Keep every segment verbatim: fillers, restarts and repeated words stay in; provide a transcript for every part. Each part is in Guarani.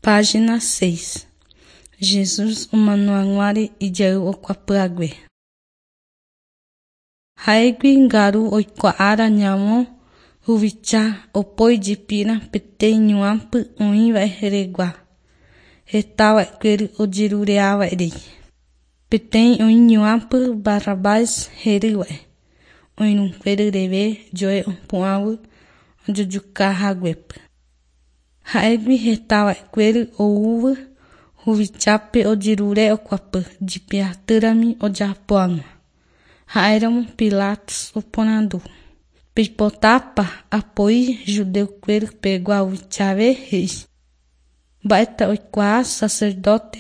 Página seis. Jesús omanohaguare ijayvu okuapyhague. Ha'égui ngaru oikuaára ñavõ huvicha opóijepína peteĩ ñuãpy oĩva regua hetava'ekuéry ojerure'ava'erei. Peteĩ oĩ ñuãpy Barrabás hérava, oirũnguéry reve joe opu'ãvy ojojukahaguépy. Ha'égui hetava'ekuéry oúvy huvichápe ojerure okuapy jipe atýrami ojapo hag̃ua. Ha'éramo Pilatus oporandu. Peipotápa apoi judeokuéry pegua huvichave he'i. Mba'éta oikuaa sacerdote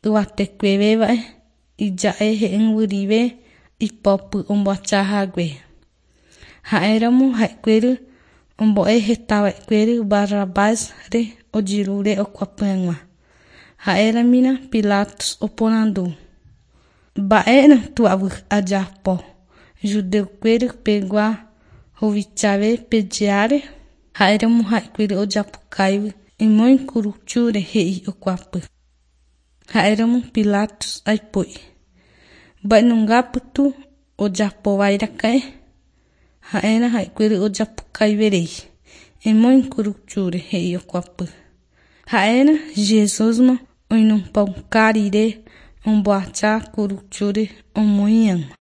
yvatekuevéva'e ija'e he'ỹguirive ipopy omboachahague. Ha'éramo ha'ekuéry ombo'e hetava'ekuéry Barrabás-re ojerure okuapy hag̃ua. Ha'éramína Pilatus oporandu. Mba'érãtuavy ajapo judeokuéry pegua huvichave pejeáre. Ha'éramo ha'ekuéry ojapukáivy emoĩ kuruchúre he'i okuapy. Ha'éramo Pilatus aipo'i. Mba'enungápytu ojapovairaka'e. Ha'éra ha'ekuéry ojapukaiverei. Emoĩ kuruchúre he'i okuapy. Ha'éra Jesúsma oinupãuka rire omboacha kuruchúre omoĩ hag̃ua.